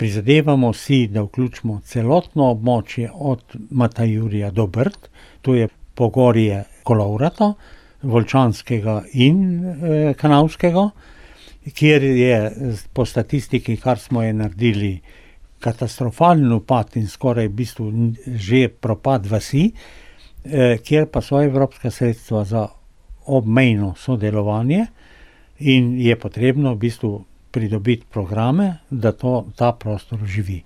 Prizadevamo si, da vključimo celotno območje od Matajurja do Brd, to je pogorje Kolovrato, Volčanskega in Kanavskega, kjer je po statistiki, kar smo je naredili, katastrofalen upad in skoraj v bistvu že propad vasi, kjer pa so evropska sredstva za obmejno sodelovanje in je potrebno v bistvu pridobiti programe, da ta prostor oživi.